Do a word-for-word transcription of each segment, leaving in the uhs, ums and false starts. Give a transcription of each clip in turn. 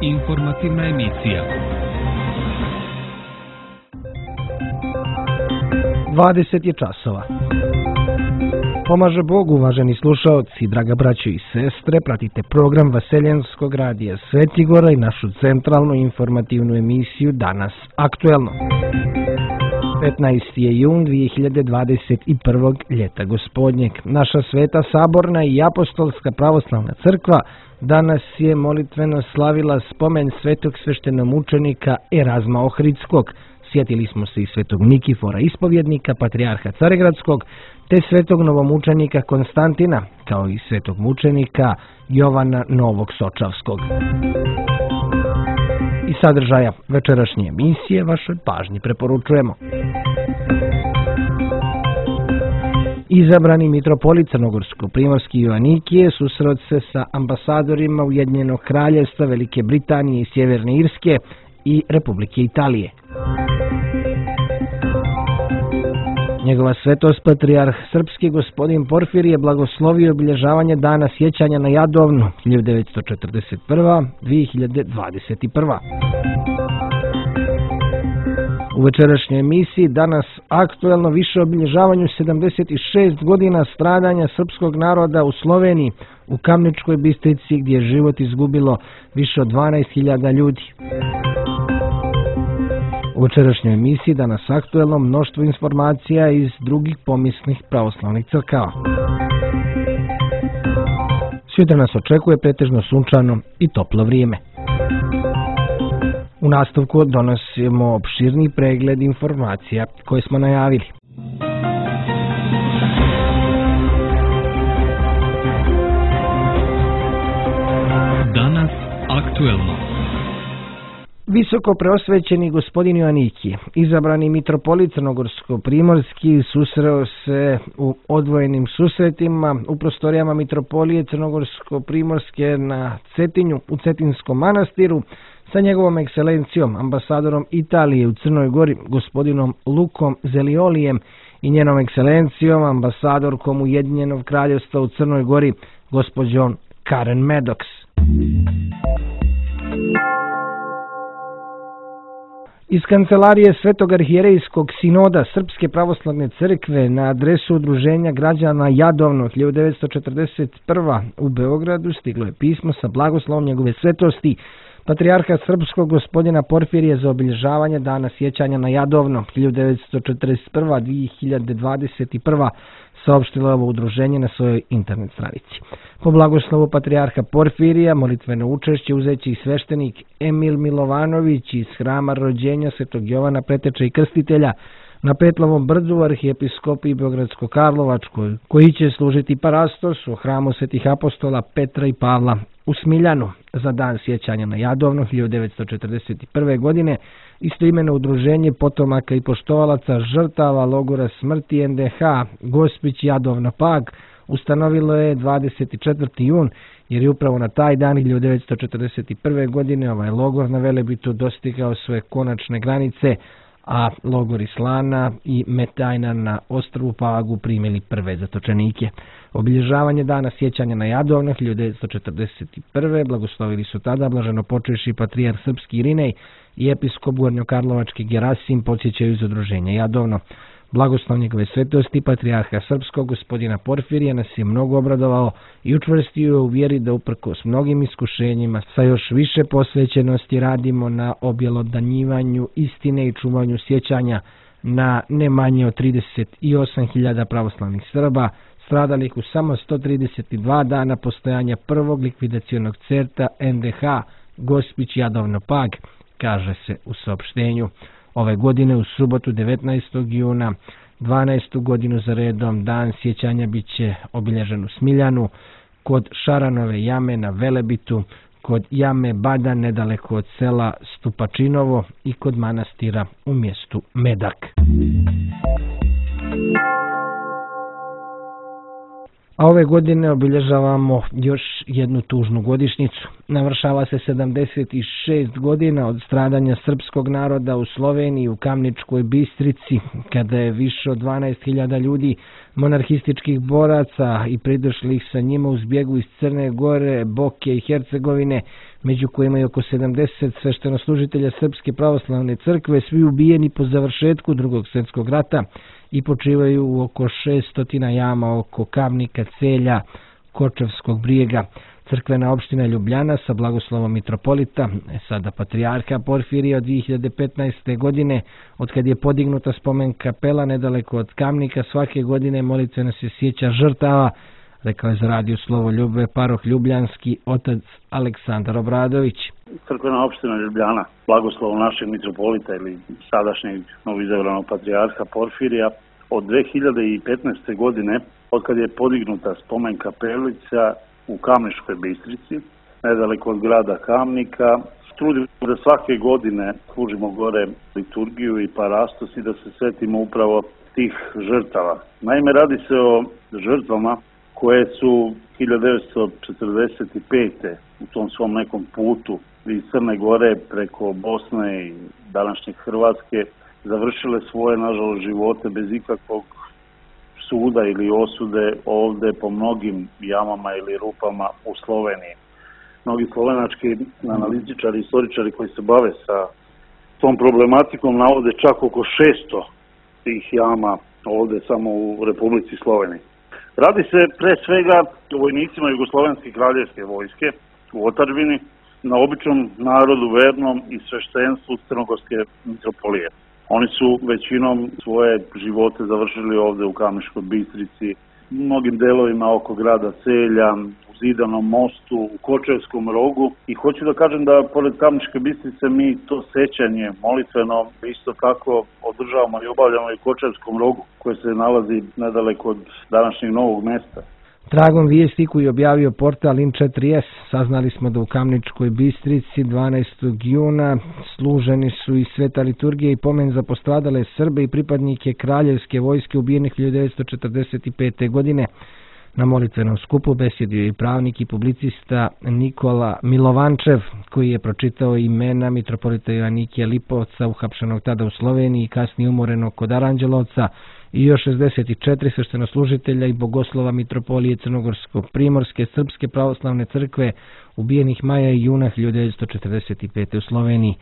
Informativna emisija. dvadeset je časova. Pomaže Bog, uvaženi slušaoci, draga braćo i sestre, pratite program Vaseljenskog radija Svetigora i našu centralnu informativnu emisiju Danas aktuelno. petnaesti je jun dvije hiljade dvadeset prvog. ljeta gospodnjeg. Naša sveta saborna i apostolska pravoslavna crkva danas je molitveno slavila spomen svetog sveštenomučenika Erazma Ohridskog. Sjetili smo se i svetog Nikifora ispovjednika, patrijarha Carigradskog, te svetog novomučenika Konstantina, kao i svetog mučenika Jovana Novog Sočavskog. I sadržaja večerašnje emisije vašoj pažnji preporučujemo. Izabrani mitropolit Crnogorsko-primorski Joanikije susreo se sa ambasadorima Ujedinjenog kraljevstva Velike Britanije i Sjeverne Irske i Republike Italije. Njegova svetost patrijarh srpski gospodin Porfirije blagoslovio obilježavanje dana sjećanja na Jadovnu hiljadu devetsto četrdeset prva do dvije hiljade dvadeset prva. U večerašnjoj emisiji danas aktuelno više o obilježavanju sedamdeset šest godina stradanja srpskog naroda u Sloveniji, u Kamničkoj Bistrici, gdje je život izgubilo više od dvanaest hiljada ljudi. U večerašnjoj emisiji danas aktuelno mnoštvo informacija iz drugih pomisnih pravoslavnih crkava. Sutra nas očekuje pretežno sunčano i toplo vrijeme. U nastavku donosimo opširni pregled informacija koje smo najavili. Danas aktuelno. Visoko preosvećeni gospodin Joanikije, izabrani mitropolit Crnogorsko-primorski, susreo se u odvojenim susretima u prostorijama mitropolije Crnogorsko-primorske na Cetinju, u Cetinskom manastiru, sa njegovom ekscelencijom, ambasadorom Italije u Crnoj Gori, gospodinom Lukom Zeliolijem, i njenom ekscelencijom, ambasadorkom Ujedinjenog kraljevstva u Crnoj Gori, gospođom Karen Maddox. Iz kancelarije Svetog arhijerejskog sinoda Srpske pravoslavne crkve na adresu Udruženja građana Jadovno hiljadu devetsto četrdeset prva. u Beogradu stiglo je pismo sa blagoslovom njegove svetosti patrijarha srpskog gospodina Porfirije za obilježavanje dana sjećanja na Jadovno hiljadu devetsto četrdeset prva do dvije hiljade dvadeset prva. saopštilo je ovo udruženje na svojoj internet stranici. Po blagoslovu patrijarha Porfirija molitveno učešće uzeći i sveštenik Emil Milovanović iz Hrama rođenja Svetog Jovana Preteče i Krstitelja na Petlovom brdu u arhijepiskopiji Beogradsko-Karlovačkoj, koji će služiti parastos u hramu svetih apostola Petra i Pavla u Smiljanu za dan sjećanja na Jadovno hiljadu devetsto četrdeset prve. godine. Istoimeno udruženje potomaka i poštovalaca žrtava logora smrti en de ha Gospić Jadovno Pag ustanovilo je dvadeset četvrti jun, jer je upravo na taj dan hiljadu devetsto četrdeset prve. godine ovaj logor na Velebitu dostigao svoje konačne granice, a logori Slana i Metajna na ostrvu Pagu primili prve zatočenike. Obilježavanje dana sjećanja na Jadovno hiljadu devetsto četrdeset prve. blagoslovili su tada blaženopočevši patrijarh srpski Irinej i episkop Gornjokarlovački Gerasim, podsjećaju iz udruženja Jadovno. Blagoslov njegove svetosti patrijarha srpskog gospodina Porfirija nas je mnogo obradovao i učvrstio u vjeri da uprkos mnogim iskušenjima sa još više posvećenosti radimo na objelodanjivanju istine i čuvanju sjećanja na ne manje od trideset osam hiljada pravoslavnih Srba stradalih u samo sto trideset dva dana postojanja prvog likvidacionog certa en de ha Gospić Jadovno Pag, kaže se u saopštenju. Ove godine u subotu devetnaestog juna, dvanaestu godinu za redom, dan sjećanja bit će obilježen u Smiljanu, kod Šaranove jame na Velebitu, kod jame Badan nedaleko od sela Stupačinovo i kod manastira u mjestu Medak. A ove godine obilježavamo još jednu tužnu godišnjicu. Navršava se sedamdeset šest godina od stradanja srpskog naroda u Sloveniji, u Kamničkoj Bistrici, kada je više od dvanaest hiljada ljudi, monarhističkih boraca i pridošlih sa njima u zbjegu iz Crne Gore, Boke i Hercegovine, među kojima je oko sedamdeset sveštenoslužitelja Srpske pravoslavne crkve, svi ubijeni po završetku Drugog svjetskog rata i počivaju u oko šesnaest jama oko Kamnika, Celja, Kočevskog brijega. Crkvena opština Ljubljana sa blagoslovom mitropolita, sada patrijarha Porfirija od dvije hiljade petnaeste. godine, od kad je podignuta spomen kapela nedaleko od Kamnika, svake godine molitveno se sjeća žrtava, rekao je za radio Slovo Ljubve paroh ljubljanski otac Aleksandar Obradović. Crkvena opština Ljubljana, blagoslovom našeg mitropolita ili sadašnjeg novoizabranog patrijarha Porfirija, od dve hiljade petnaeste. godine, od kad je podignuta spomen kapelica u Kamniškoj Bistrici, nedaleko od grada Kamnika, trudimo da svake godine služimo gore liturgiju i parastos i da se svetimo upravo tih žrtava. Naime, radi se o žrtvama koje su hiljadu devetsto četrdeset pete. u tom svom nekom putu iz Crne Gore preko Bosne i današnje Hrvatske završile svoje, nažalost, živote bez ikakvog suda ili osude ovde po mnogim jamama ili rupama u Sloveniji. Mnogi slovenački analitičari, istoričari koji se bave sa tom problematikom navode čak oko šesto tih jama ovde samo u Republici Sloveniji. Radi se pre svega o vojnicima Jugoslovenske kraljevske vojske u otadžbini, na običnom narodu vernom i sveštenstvu Crnogorske mitropolije. Oni su većinom svoje živote završili ovde u Kamniškoj Bistrici, u mnogim delovima oko grada Celja, u Zidanom mostu, u Kočevskom rogu. I hoću da kažem da pored Kamniške Bistrice mi to sećanje molitveno isto tako održavamo i obavljamo i u Kočevskom rogu, koje se nalazi nedaleko od današnjeg Novog Mesta. Tragom vijesti koji je objavio portal in četiri es, saznali smo da u Kamničkoj Bistrici dvanaestog juna služeni su i sveta liturgija i pomen za postradale Srbe i pripadnike kraljevske vojske ubijenih hiljadu devetsto četrdeset pete. godine. Na molitvenom skupu besjedio i pravnik i publicista Nikola Milovančev, koji je pročitao imena mitropolita Joanikija Lipovca, uhapšenog tada u Sloveniji i kasnije umorenog kod Aranđelovca, i još šezdeset četiri sveštenoslužitelja i bogoslova mitropolije Crnogorsko-Primorske Srpske pravoslavne crkve ubijenih maja i juna hiljadu devetsto četrdeset pete. u Sloveniji.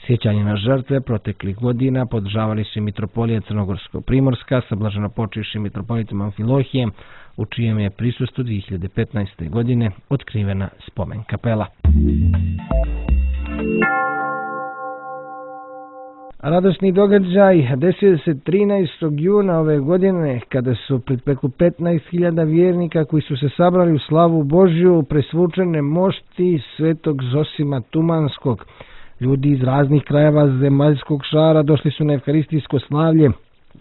Sjećanje na žrtve proteklih godina podržavali su i mitropolija Crnogorsko-Primorska sa blaženopočivšim mitropolitom Amfilohijem, u čijem je prisustvu dvije hiljade petnaeste. godine otkrivena spomen kapela. Radosni događaj desio se trinaestog juna ove godine, kada su pred preko petnaest hiljada vjernika koji su se sabrali u slavu Božju presvučene mošti svetog Zosima Tumanskog. Ljudi iz raznih krajeva zemaljskog šara došli su na evharistijsko slavlje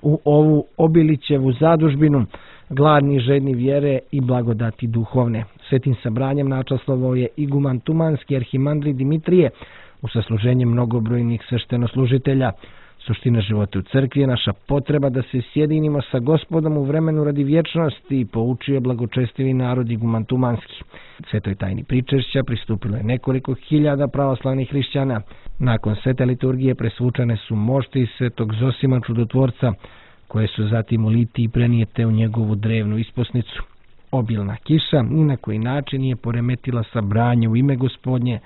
u ovu Obilićevu zadužbinu, gladni, žedni vjere i blagodati duhovne. Svetim sabranjem načastvovao je iguman Tumanski arhimandrit Dimitrije, u sasluženje mnogobrojnih sveštenoslužitelja. Suština života u crkvi je naša potreba da se sjedinimo sa Gospodom u vremenu radi vječnosti, i poučio je blagočestivi narod iguman Tumanski. Svetoj tajni pričešća pristupilo je nekoliko hiljada pravoslavnih hrišćana. Nakon svete liturgije presvučane su mošti svetog Zosima Čudotvorca, koje su zatim u litiji prenijete u njegovu drevnu isposnicu. Obilna kiša ni na koji način nije poremetila sabranje u ime Gospodnje,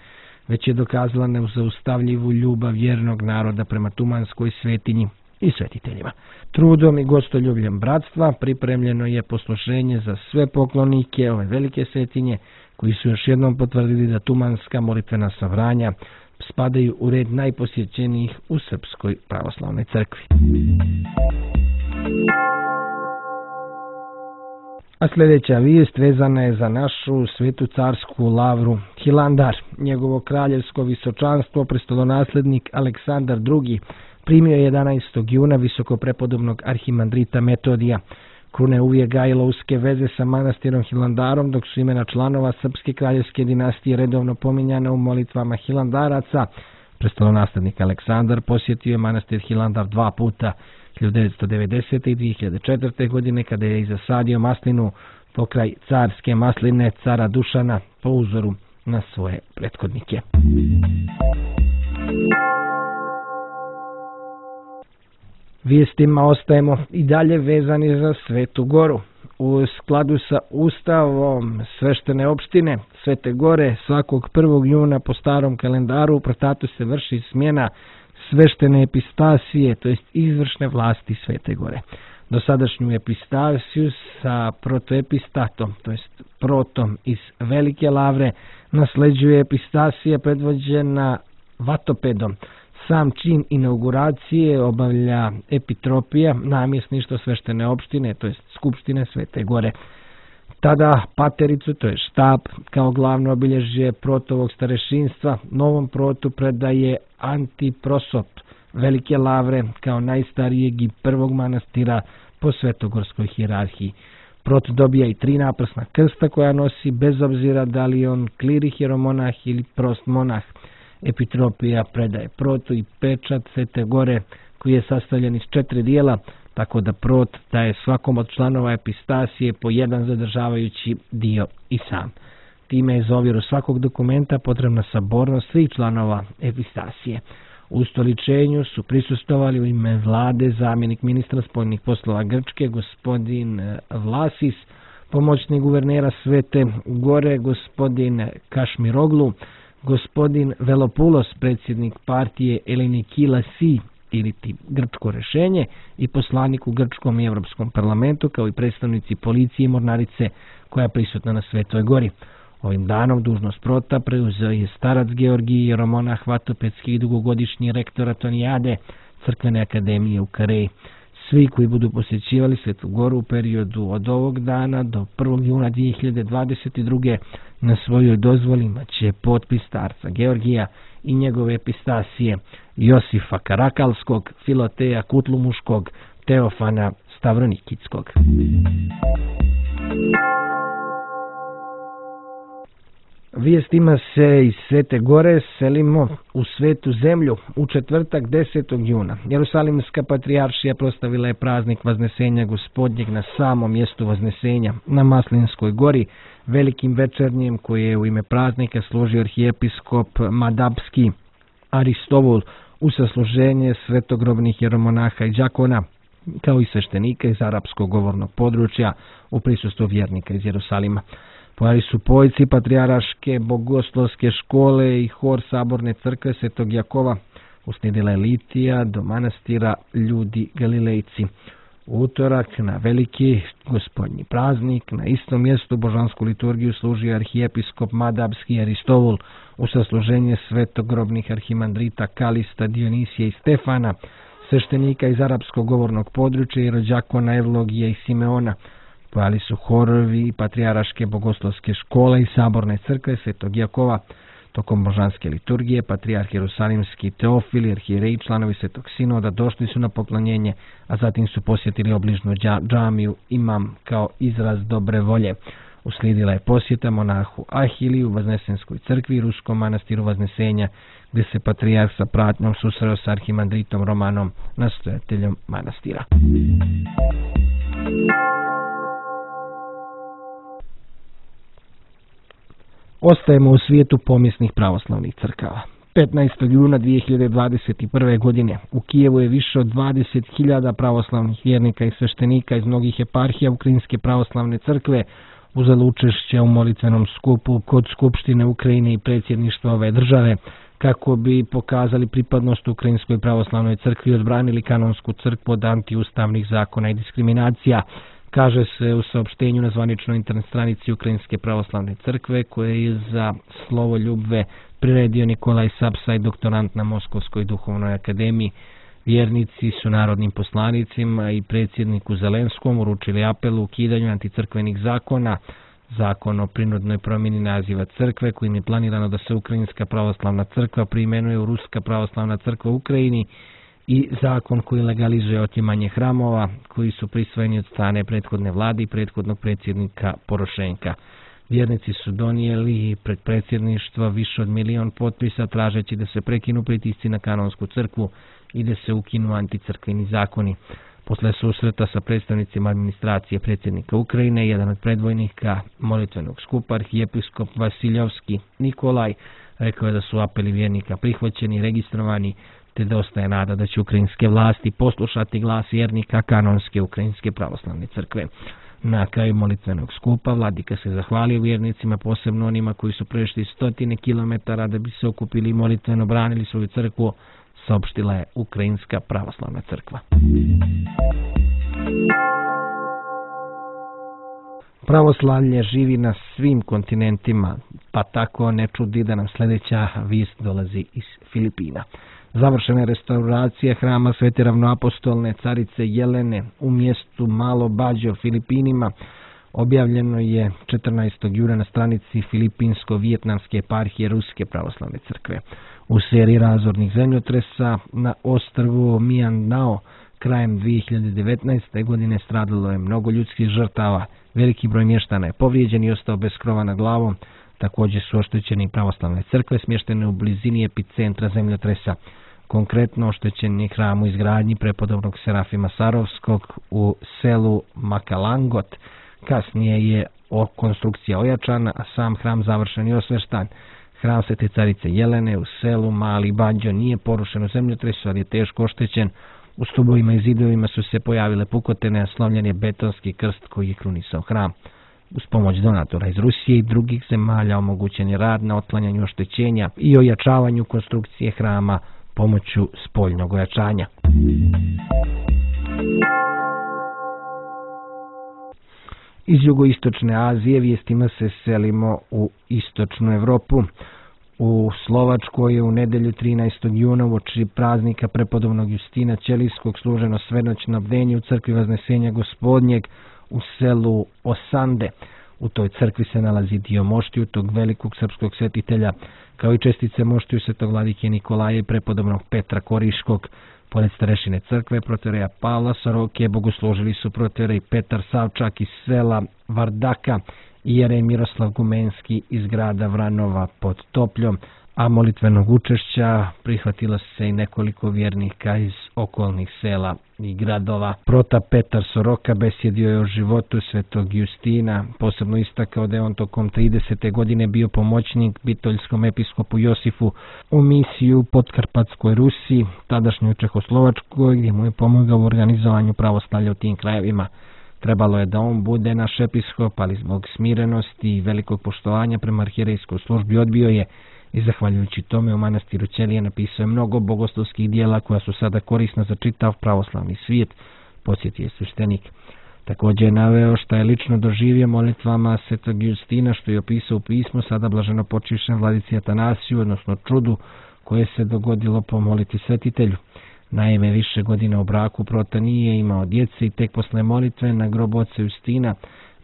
već je dokazala nezaustavljivu ljubav vjernog naroda prema Tumanskoj svetinji i svetiteljima. Trudom i gostoljubljem bratstva pripremljeno je poslušenje za sve poklonike ove velike svetinje, koji su još jednom potvrdili da tumanska molitvena sabranja spadaju u red najposjećenijih u Srpskoj pravoslavnoj crkvi. A sljedeća vijest vezana je za našu svetu carsku lavru Hilandar. Njegovo kraljevsko visočanstvo, prestolonaslednik Aleksandar drugi, primio je jedanaestog juna visokoprepodobnog arhimandrita Metodija. Kruna je uvijek gajila uske veze sa manastirom Hilandarom, dok su imena članova srpske kraljevske dinastije redovno pominjana u molitvama Hilandaraca. Prestolonaslednik Aleksandar posjetio je manastir Hilandar dva puta, hiljadu devetsto devedesete. i dvije hiljade četvrte. godine, kada je i zasadio maslinu pokraj carske masline cara Dušana po uzoru na svoje prethodnike. Vijestima ostajemo i dalje vezani za Svetu Goru. U skladu sa Ustavom sveštene opštine Svete Gore svakog prvog juna po starom kalendaru u Protatu se vrši smjena sveštene epistasije, to jest izvršne vlasti Svete Gore. Dosadašnju epistasiju sa protoepistatom, to jest protom iz Velike Lavre, nasleđuje epistasija predvođena vatopedom. Sam čin inauguracije obavlja epitropija, namjesništvo sveštene opštine, to jest skupštine Svete Gore. Tada patericu, to je štab, kao glavno obilježje protovog starešinstva, novom protu predaje Antiprosop Velike Lavre kao najstarijeg i prvog manastira po svetogorskoj hijerarhiji. Prot dobija i tri naprsna krsta koja nosi bez obzira da li on kliri hieromonah ili prost monah. Epitropija predaje protu i pečat Svete Gore koji je sastavljen iz četiri dijela, tako da prot daje svakom od članova epistasije po jedan zadržavajući dio i sam. Time je za ovjeru svakog dokumenta potrebna sabornost svih članova epistasije. U ustoličenju su prisustvovali u ime vlade zamjenik ministra spoljnih poslova Grčke, gospodin Vlasis, pomoćnik guvernera Svete Gore, gospodin Kašmiroglu, gospodin Velopulos, predsjednik partije Elinikila Si, ili ti grčko rešenje, i poslanik u grčkom i evropskom parlamentu, kao i predstavnici policije i mornarice koja je prisutna na Svetoj Gori. Ovim danom dužnost prota preuzeo je starac Georgij jeromonah vatopedski i dugogodišnji rektor Atonijade crkvene akademije u Kareji. Svi koji budu posjećivali Svetu Goru u periodu od ovog dana do prvog juna dvije hiljade dvadeset druge na svojoj dozvoli imaće potpis starca Georgija i njegove epistasije Josifa Karakalskog, Filoteja Kutlumuškog, Teofana Stavronikitskog. Vijestima se iz Svete Gore selimo u Svetu zemlju u četvrtak desetog juna. Jerusalimska patrijaršija proslavila je praznik Vaznesenja Gospodnjeg na samom mjestu Vaznesenja, na Maslinskoj gori, velikim večernjem koje je u ime praznika složio arhijepiskop Madabski Aristovul u sasluženje svetogrobnih jeromonaha i đakona, kao i sveštenika iz arapskog govornog područja u prisustvu vjernika iz Jerusalima. Pojeli su pojci patrijarške bogoslovske škole i hor saborne crkve Svetog Jakova. Uslijedila je litija do manastira Ljudi Galilejci. U utorak na veliki gospodnji praznik na istom mjestu božansku liturgiju služio arhijepiskop Madabski Aristovul u sasluženje svetogrobnih arhimandrita Kalista, Dionisija i Stefana, sveštenika iz arapskog govornog područja i rođakona Evlogija i Simeona. Pojeli su horovi i patrijarške bogoslovske škole i saborne crkve Svetog Jakova. Tokom božanske liturgije patrijarh Jerusalimski Teofil i arhijereji članovi Svetog Sinoda došli su na poklonjenje, a zatim su posjetili obližnu džamiju Imam kao izraz dobre volje. Uslijedila je posjeta monahu Ahiliju u Vaznesenskoj crkvi i ruskom manastiru Vaznesenja, gdje se patrijarh sa pratnjom susreo sa arhimandritom Romanom, nastojateljom manastira. Ostajemo u svijetu pomijesnih pravoslavnih crkava. petnaestog juna dvije hiljade dvadeset prve. godine u Kijevu je više od dvadeset hiljada pravoslavnih vjernika i sveštenika iz mnogih eparhija Ukrajinske pravoslavne crkve uzelo učešće u molitvenom skupu kod Skupštine Ukrajine i predsjedništva ove države, kako bi pokazali pripadnost Ukrajinskoj pravoslavnoj crkvi i odbranili kanonsku crkvu od antiustavnih zakona i diskriminacija. Kaže se u saopštenju na zvaničnoj internet stranici Ukrajinske pravoslavne crkve, koje je za slovo ljubve priredio Nikolaj Sapsaj, doktorant na Moskovskoj duhovnoj akademiji. Vjernici su narodnim poslanicima i predsjedniku Zelenskom uručili apel u ukidanju anticrkvenih zakona, zakon o prinudnoj promjeni naziva crkve, kojim je planirano da se Ukrajinska pravoslavna crkva preimenuje u Ruska pravoslavna crkva u Ukrajini, i zakon koji legalizuje otimanje hramova koji su prisvojeni od strane prethodne vlade i prethodnog predsjednika Porošenka. Vjernici su donijeli pred predsjedništvo više od milion potpisa tražeći da se prekinu pritisci na kanonsku crkvu i da se ukinu anticrkveni zakoni. Posle susreta sa predstavnicima administracije predsjednika Ukrajine, jedan od predvojnika molitvenog skupa, arhijepiskop Vasiljovski Nikolaj, rekao je da su apeli vjernika prihvaćeni i registrovani, te da ostaje nada da će ukrajinske vlasti poslušati glas vjernika kanonske Ukrajinske pravoslavne crkve. Na kraju molitvenog skupa vladika se zahvalio vjernicima, posebno onima koji su prešli stotine kilometara da bi se okupili i molitveno branili svoju crkvu, saopštila je Ukrajinska pravoslavna crkva. Pravoslavlje živi na svim kontinentima, pa tako ne čudi da nam sljedeća vijest dolazi iz Filipina. Završena je restauracija hrama Svete ravnoapostolne carice Jelene u mjestu Malo Bađo, Filipinima. Objavljeno je četrnaestog juna na stranici Filipinsko-vijetnamske eparhije Ruske pravoslavne crkve. U seriji razornih zemljotresa na ostrvu Mindanao krajem dvije hiljade devetnaeste. godine stradalo je mnogo ljudskih žrtava. Veliki broj mještana je povrijeđen i ostao bez krova nad glavom. Također su oštećeni pravoslavne crkve smještene u blizini epicentra zemljotresa. Konkretno oštećen je hram u izgradnji prepodobnog Serafima Sarovskog u selu Makalangot. Kasnije je o konstrukcija ojačana, a sam hram završen i osveštan. Hram Svete carice Jelene u selu Mali Bađo nije porušen u zemljotresu, ali je teško oštećen. U stubovima i zidovima su se pojavile pukotine, a slomljen je betonski krst koji je krunisao hram. Uz pomoć donatora iz Rusije i drugih zemalja omogućen je rad na otklanjanju oštećenja i ojačavanju konstrukcije hrama pomoću spoljnog ojačanja. Iz jugoistočne Azije vijestima se selimo u istočnu Evropu. U Slovačkoj je u nedelju trinaestog juna uoči praznika prepodobnog Justina Ćelijskog služeno svenoćno bdenje u crkvi Vaznesenja Gospodnjeg u selu Osande. U toj crkvi se nalazi dio moštiju tog velikog srpskog svetitelja, kao i čestice moštiju svetog vladike Nikolaja i prepodobnog Petra Koriškog. Pored starešine crkve protoreja Pavla Soroke bogoslužili su protorej Petar Savčak iz sela Vardaka i jerej Miroslav Gumenski iz grada Vranova pod Topljom, a molitvenog učešća prihvatilo se i nekoliko vjernika iz okolnih sela i gradova. Prota Petar Soroka besjedio je o životu svetog Justina, posebno istakao da je on tokom tridesete godine bio pomoćnik bitoljskom episkopu Josifu u misiju u Podkarpatskoj Rusiji, tadašnjoj Čehoslovačkoj, gdje mu je pomogao u organizovanju pravoslavlja u tim krajevima. Trebalo je da on bude naš episkop, ali zbog smirenosti i velikog poštovanja prema arhijerejskoj službi odbio je i zahvaljujući tome u manastiru Ćelije napisao je mnogo bogoslovskih dijela koja su sada korisna za čitav pravoslavni svijet, podsjetio je sveštenik. Također je naveo šta je lično doživio molitvama svetog Justina, što je opisao u pismu sada blaženo počivšem vladici Atanasiju, odnosno čudu koje se dogodilo po molitvi svetitelju. Naime, više godina u braku prota nije imao djece i tek posle molitve na grobu oca Justina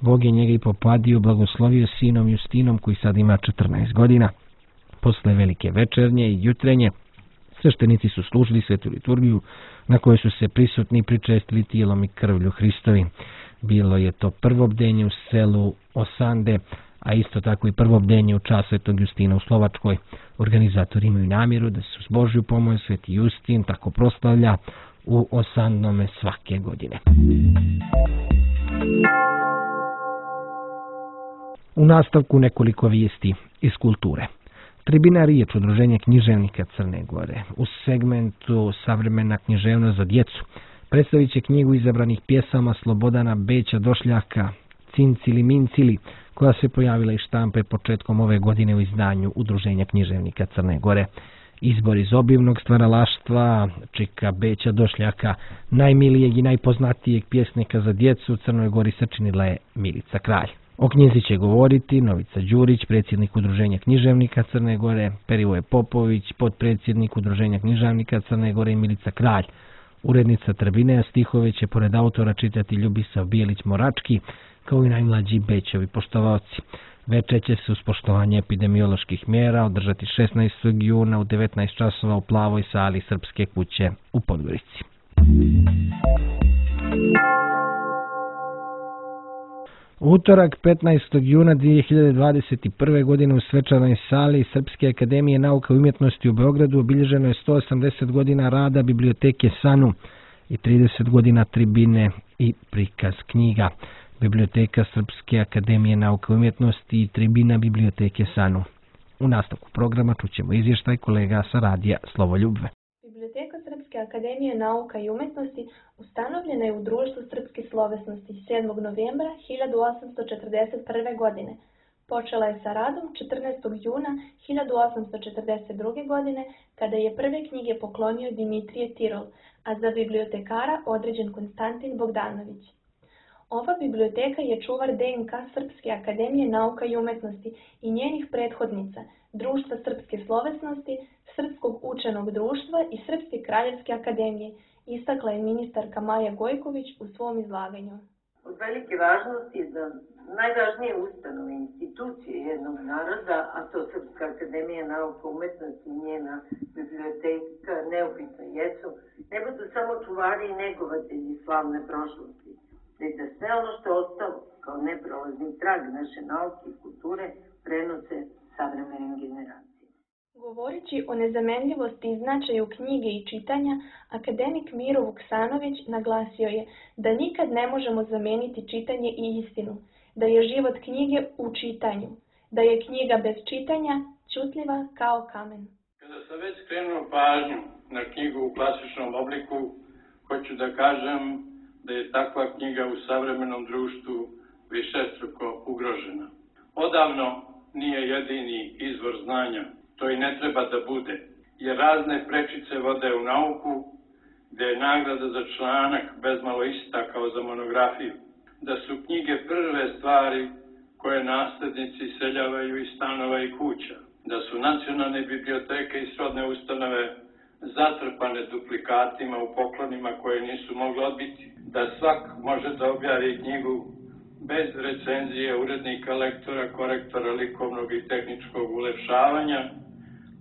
Bog je njega i popadio blagoslovio sinom Justinom koji sad ima četrnaest godina. Posle velike večernje i jutrenje sveštenici su služili svetu liturgiju na kojoj su se prisutni pričestili tijelom i krvlju Hristovi. Bilo je to prvo bdenje u selu Osande, a isto tako i prvo bdenje u čast svetog Justina u Slovačkoj. Organizatori imaju namjeru da se uz Božju pomoć sveti Justin tako proslavlja u Osandome svake godine. U nastavku nekoliko vijesti iz kulture. Tribina riječ udruženje književnika Crne Gore u segmentu Savremena književnost za djecu predstavit će knjigu izabranih pjesama Slobodana Beća Došljaka Cincili Mincili, koja se pojavila iz štampe početkom ove godine u izdanju udruženja književnika Crne Gore. Izbor iz obimnog stvaralaštva Čika Beća Došljaka, najmilijeg i najpoznatijeg pjesnika za djecu u Crnoj Gori, sačinila je Milica Kralj. O knjizi će govoriti Novica Đurić, predsjednik udruženja književnika Crne Gore, Perivoje Popović, potpredsjednik udruženja književnika Crne Gore i Milica Kralj. Urednica Trbineja stihove će pored autora čitati Ljubisav Bijelić Morački, kao i najmlađi Bećovi poštovaoci. Večer će se uz poštovanje epidemioloških mjera održati šesnaestog juna u devetnaest časova u Plavoj sali Srpske kuće u Podgorici. Utorak petnaestog juna dvije hiljade dvadeset prve. godine u svečanoj sali Srpske akademije nauka i umjetnosti u Beogradu obilježeno je sto osamdeset godina rada biblioteke Sanu i trideset godina tribine i prikaz knjiga. Biblioteka Srpske akademije nauka i umjetnosti i tribina biblioteke Sanu. U nastavku programa čućemo izvještaj kolega sa radija Slovoljubve. Biblioteka Srpske Srpske akademije nauka i umetnosti ustanovljena je u Društvu srpske slovesnosti sedmog novembra hiljadu osamsto četrdeset prve. godine. Počela je sa radom četrnaestog juna hiljadu osamsto četrdeset druge. godine, kada je prve knjige poklonio Dimitrije Tirol, a za bibliotekara određen Konstantin Bogdanović. Ova biblioteka je čuvar D N K Srpske akademije nauka i umetnosti i njenih prethodnica, Društva srpske slovesnosti, Srpskog učenog društva i Srpske kraljevske akademije, istakla je ministarka Maja Gojković u svom izlaganju. Od velike važnosti je da najvažnije ustanove institucije jednog naroda, a to Srpska akademija nauka i umetnosti i njena biblioteka neupitno jesu, ne budu samo čuvari i negovatelji slavne prošlosti, već da sve ono što je ostalo kao neprolazni trag naše nauke i kulture prenose savremenim generacijama. Govoreći o nezamenljivosti i značaju knjige i čitanja, akademik Miro Vuksanović naglasio je da nikad ne možemo zameniti čitanje i istinu, da je život knjige u čitanju, da je knjiga bez čitanja ćutljiva kao kamen. Kada sam već skrenuo pažnju na knjigu u klasičnom obliku, hoću da kažem da je takva knjiga u savremenom društvu višestruko ugrožena. Odavno nije jedini izvor znanja, to i ne treba da bude, jer razne prečice vode u nauku, gde je nagrada za članak bezmalo ista kao za monografiju, da su knjige prve stvari koje naslednici seljavaju iz stanova i kuća, da su nacionalne biblioteke i srodne ustanove zatrpane duplikatima u poklonima koje nisu mogli odbiti, da svak može da objavi knjigu bez recenzije urednika, lektora, korektora, likovnog i tehničkog ulepšavanja,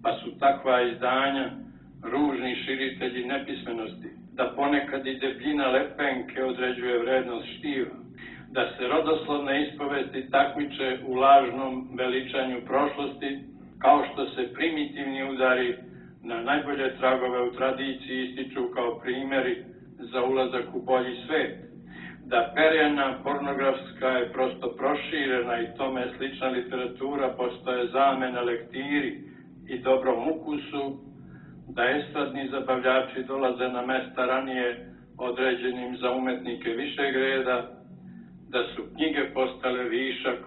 pa su takva izdanja ružni širitelji nepismenosti, da ponekad i debljina lepenke određuje vrednost štiva, da se rodoslovne ispovesti takmiče u lažnom veličanju prošlosti, kao što se primitivni udari na najbolje tragove u tradiciji ističu kao primjeri za ulazak u bolji svet, da perjana pornografska je prosto proširena i tome slična literatura postaje zamena lektiri i dobrom ukusu, da estradni zabavljači dolaze na mesta ranije određenim za umetnike višeg reda, da su knjige postale višak,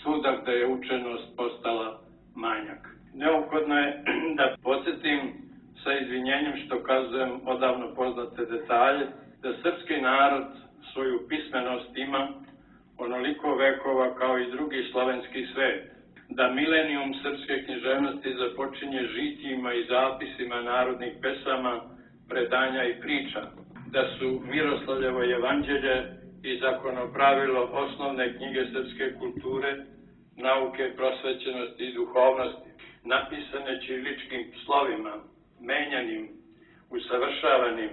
svuda gde je učenost postala manjak. Neophodno je da podsjetim sa izvinjenjem što kazujem odavno poznate detalje, da srpski narod svoju pismenost ima onoliko vekova kao i drugi slovenski svet, da milenijum srpske književnosti započinje žitijima i zapisima narodnih pesama, predanja i priča, da su Miroslavljevo evanđelje i zakonopravilo osnovne knjige srpske kulture, nauke, prosvećenosti i duhovnosti, napisane ćiriličkim slovima, menjanim, usavršavanim,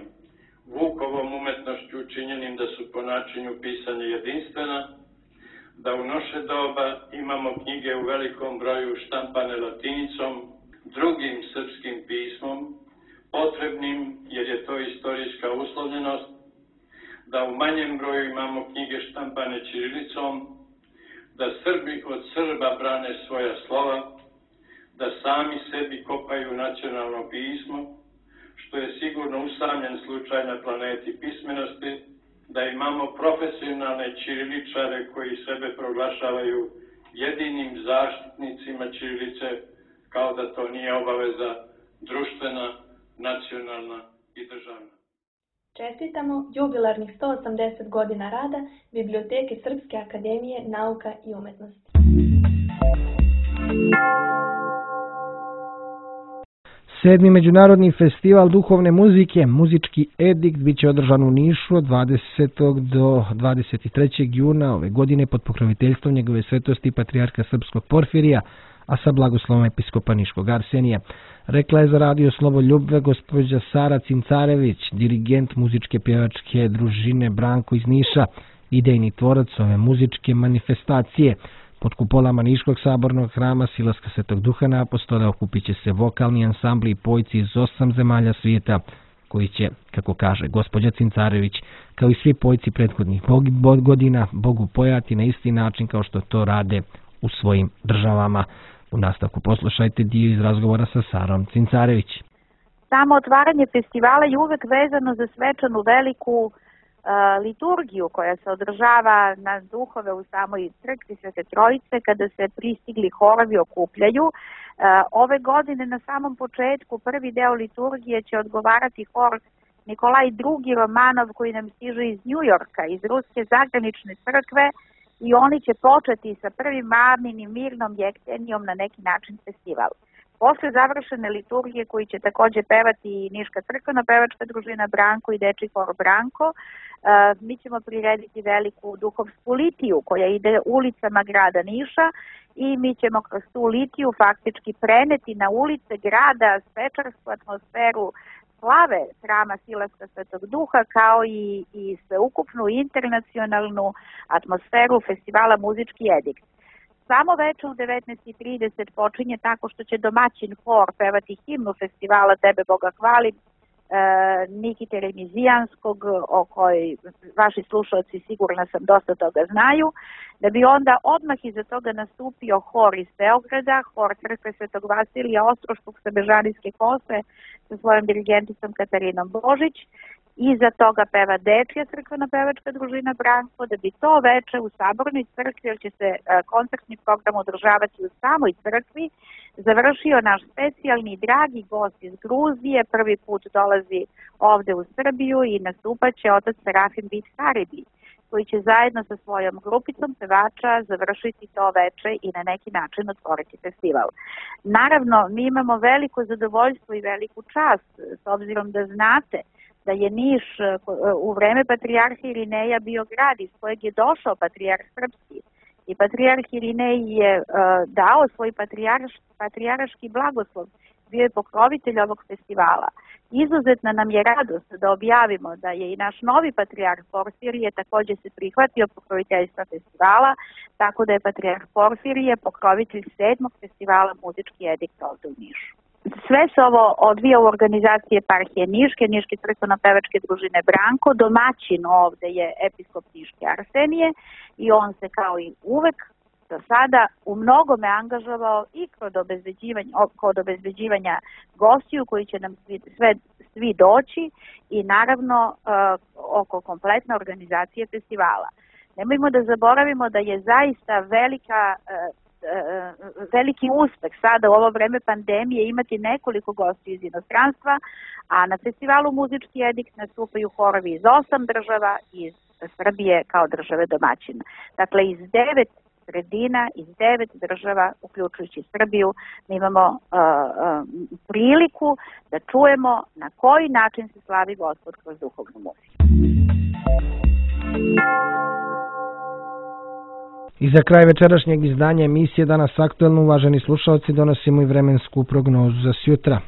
Vukovom umetnošću učinjenim da su po načinu pisanja jedinstvena, da u naše doba imamo knjige u velikom broju štampane latinicom, drugim srpskim pismom, potrebnim jer je to istorijska uslovljenost, da u manjem broju imamo knjige štampane ćirilicom, da Srbi od Srba brane svoja slova, da sami sebi kopaju nacionalno pismo, što je sigurno usamljen slučaj na planeti pismenosti, da imamo profesionalne ćiriličare koji sebe proglašavaju jedinim zaštitnicima ćirilice, kao da to nije obaveza društvena, nacionalna i državna. Čestitamo jubilarnih sto osamdeset godina rada Biblioteke Srpske akademije nauka i umetnosti. Sedmi međunarodni festival duhovne muzike, Muzički edikt, bit će održan u Nišu od dvadesetog do dvadeset trećeg juna ove godine pod pokroviteljstvom njegove svetosti patrijarha srpskog Porfirija, a sa blagoslovom episkopa Niškog Arsenija. Rekla je za radio Sloboljub gospođa Sara Cincarević, dirigent muzičke pjevačke družine Branko iz Niša, idejni tvorac ove muzičke manifestacije. Pod kupolama Niškog sabornog hrama Silaska Svetog Duha na Apostole okupit će se vokalni ansambli i pojci iz osam zemalja svijeta, koji će, kako kaže gospođa Cincarević, kao i svi pojci prethodnih godina, Bogu pojati na isti način kao što to rade u svojim državama. U nastavku poslušajte dio iz razgovora sa Sarom Cincarević. Samo otvaranje festivala je uvek vezano za svečanu veliku uh, liturgiju koja se održava na duhove u samoj crkvi Svete Trojice kada se pristigli horovi okupljaju. Uh, ove godine na samom početku prvi deo liturgije će odgovarati hor Nikolaj drugi Romanov koji nam stiže iz Njujorka, iz Ruske zagranične crkve, i oni će početi sa prvim Maminim mirnom jektenijom na neki način festival. Posle završene liturgije koji će takođe pevati i Niška crkveno-pevačka družina Branko i Dečiji hor Branko, mi ćemo prirediti veliku duhovsku litiju koja ide ulicama grada Niša i mi ćemo kroz tu litiju faktički preneti na ulice grada svečarsku atmosferu slave hrama Silaska Svetog Duha kao i, i sveukupnu internacionalnu atmosferu festivala Muzički edikt. Samo veče u devetnaest i trideset počinje tako što će domaćin hor pevati himnu festivala Tebe Boga hvalim, e, Nikite Remizijanskog, o kojoj vaši slušalci sigurno sam dosta toga znaju, da bi onda odmah iza toga nastupio hor iz Beograda, hor Crkve Svetog Vasilija Ostroškog sa Bežanijske kose sa svojom dirigenticom Katarinom Božić. Iza toga peva Dečija crkveno-pevačka družina Branko, da bi to veče u Sabornoj crkvi, jer će se koncertni program održavati u samoj crkvi, završio naš specijalni dragi gost iz Gruzije, prvi put dolazi ovde u Srbiju i nastupaće otac Serafim Bit Haribi, koji će zajedno sa svojom grupicom pevača završiti to veče i na neki način otvoriti festival. Naravno, mi imamo veliko zadovoljstvo i veliku čast, s obzirom da znate da je Niš u vreme patrijarha Irineja bio grad iz kojeg je došao patrijarh srpski i patrijarh Irinej je uh, dao svoj patrijarš, patrijarški blagoslov, bio je pokrovitelj ovog festivala. Izuzetna nam je radost da objavimo da je i naš novi patrijarh Porfirije takođe se prihvatio pokroviteljstva festivala, tako da je patrijarh Porfirije pokrovitelj sedmog festivala Muzički edikt ovde u Nišu. Sve se ovo odvija u organizaciji Eparhije Niške, Niške crkveno-pevačke družine Branko. Domaćin ovde je episkop Niške Arsenije i on se kao i uvek do sada u mnogome angažovao i kod obezbeđivanja, kod obezbeđivanja gostiju koji će nam svi, sve, svi doći i naravno uh, oko kompletne organizacije festivala. Nemojmo da zaboravimo da je zaista velika uh, veliki uspeh sada u ovo vreme pandemije imati nekoliko gostiju iz inostranstva, a na festivalu Muzički edikt nastupaju horovi iz osam država i iz Srbije kao države domaćina. Dakle, iz devet sredina, iz devet država, uključujući Srbiju, mi imamo uh, uh, priliku da čujemo na koji način se slavi Gospod kroz duhovnu muziku. I za kraj večerašnjeg izdanja emisije Danas aktuelno, uvaženi slušalci, donosimo i vremensku prognozu za sjutra.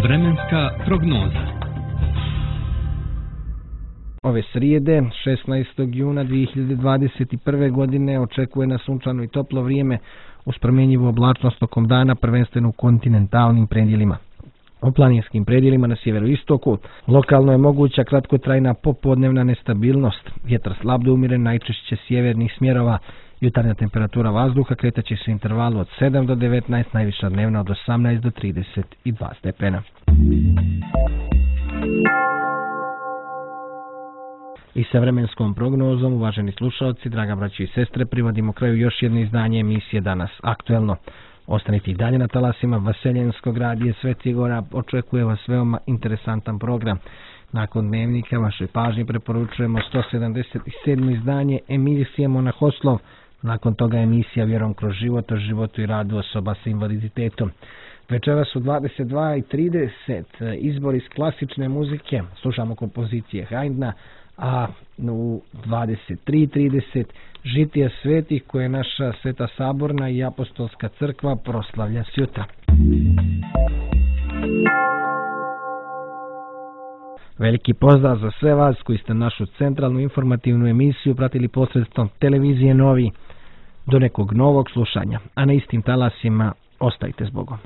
Vremenska prognoza. Ove srijede, šesnaestog juna dve hiljade dvadeset prve. godine, očekuje nas sunčano i toplo vrijeme uz promjenjivu oblačnost tokom dana, prvenstveno u kontinentalnim predjelima. U planinskim predjelima na sjeveroistoku lokalno je moguća kratkotrajna popodnevna nestabilnost. Vjetar slab do umiren, najčešće sjevernih smjerova. Jutarnja temperatura vazduha kretaće se u intervalu od sedam do devetnaest, najviša dnevna od osamnaest do trideset dva stepena. I sa vremenskom prognozom, uvaženi slušalci, draga braći i sestre, privodimo kraju još jedno izdanje emisije Danas aktuelno. Ostanite i dalje na talasima Vaseljenskog radija Sveti Gora, očekuje vas veoma interesantan program. Nakon dnevnika vašoj pažnji preporučujemo sto sedamdeset sedmo izdanje emisije Monahoslov, nakon toga emisija Vjerom kroz život o životu i radu osoba sa invaliditetom. Večeras u dvadeset dva i trideset izbor iz klasične muzike, slušamo kompozicije Haydna, a u dvadeset tri i trideset žitija svetih koje naša Sveta Saborna i Apostolska crkva proslavlja sjutra. Veliki pozdrav za sve vas koji ste našu centralnu informativnu emisiju pratili posredstvom televizije Novi. Do nekog novog slušanja, a na istim talasima ostajte s Bogom.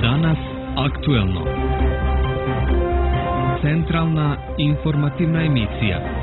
Danas aktuelno. Centralna informativna emisija.